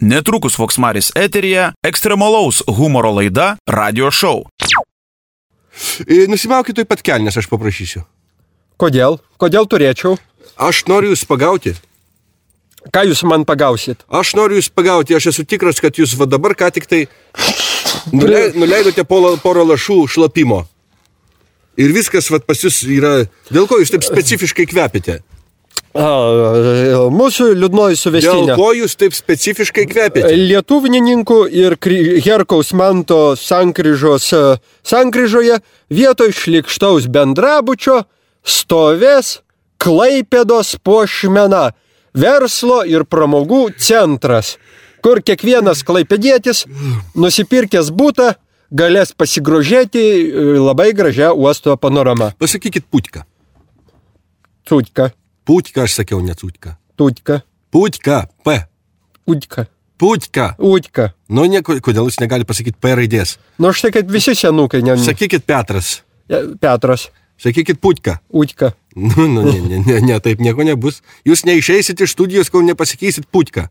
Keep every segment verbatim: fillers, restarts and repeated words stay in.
Netrukus Voksmaris eteryje ekstremalaus humoro laida Radio Show. Nusimaukit taip pat kelnes, aš paprašysiu. Kodėl? Kodėl turėčiau? Aš noriu jūs pagauti. Ką jūs man pagausit? Aš noriu jūs pagauti, aš esu tikras, kad jūs va dabar ką tik tai nulei, nuleidote porą lašų šlapimo. Ir viskas va pas jūs yra... Dėl ko jūs taip specifiškai kvepite? A, mūsų liūdnoji suvestinė. Dėl ko jūs taip specifiškai kvepite? Lietuvininkų ir Herkaus Manto sankryžos sankryžoje vietoj šlikštaus bendrabučio stovės Klaipėdos puošmena, verslo ir pramogų centras, kur kiekvienas klaipėdietis nusipirkęs butą galės pasigrožėti labai gražią uosto panoramą. Pasakykit Putka. Tutka. Putka, aš sakiau, ne Tutka. Tutka. Putka, P. Utka. Putka. Utka. Nu, ne, kodėl jūs negali pasakyti P raidės? Nu, štai, kad visi senukai. Ne... Sakykit Petras. Petras. Sakykit Putka. Utka. Nu, nu, ne, ne, ne, ne, taip nieko nebus. Jūs neišeisit iš studijos, kol nepasakysit Putka.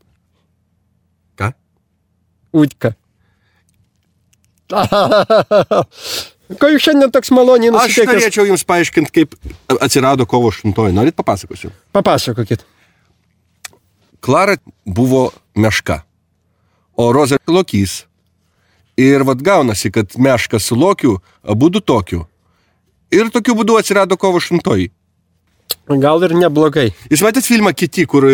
Ką? Utka. Ko jūs šiandien toks maloniai nusiteikęs? Aš norėčiau jums paaiškinti, kaip atsirado kovo aštuntoji. Norit papasakosiu? Papasakokit. Klara buvo meška, o Roza lokys. Ir vat gaunasi, kad meška su lokiu, abudu tokiu. Ir tokiu būdu atsirado kovo aštuntoji. Gal ir neblogai. Jūs matėt filmą Kiti, kur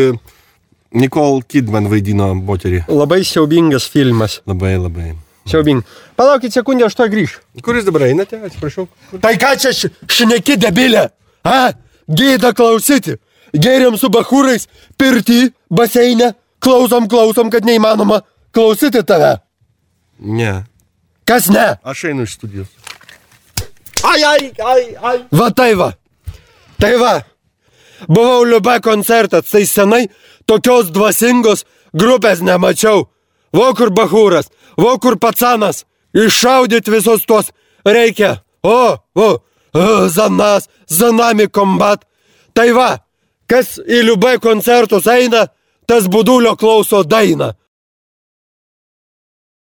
Nicole Kidman vaidino moterį? Labai siaubingas filmas. Labai, labai. Siaubing. Palaukit sekundę, aš to grįšiu. Kuris dabar einate, atsiprašau? Tai ką čia šneki debilė? A? Gėda klausyti. Geriam su bachūrais, pirty, baseine. Klausom, klausom, kad neįmanoma klausyti tave. Ne. Kas ne? Aš einu iš studijos. Ai, ai, ai, ai. Va tai va. Tai va. Buvau Liube koncertas, tai senai tokios dvasingos grupės nemačiau. Vo kur bachūras, vo kur pacanas. Iššaudyt visus tuos reikia. O, o, o, zanas, zanami kombat. Tai va, kas į Liube koncertus eina, tas Budulio klauso dainą.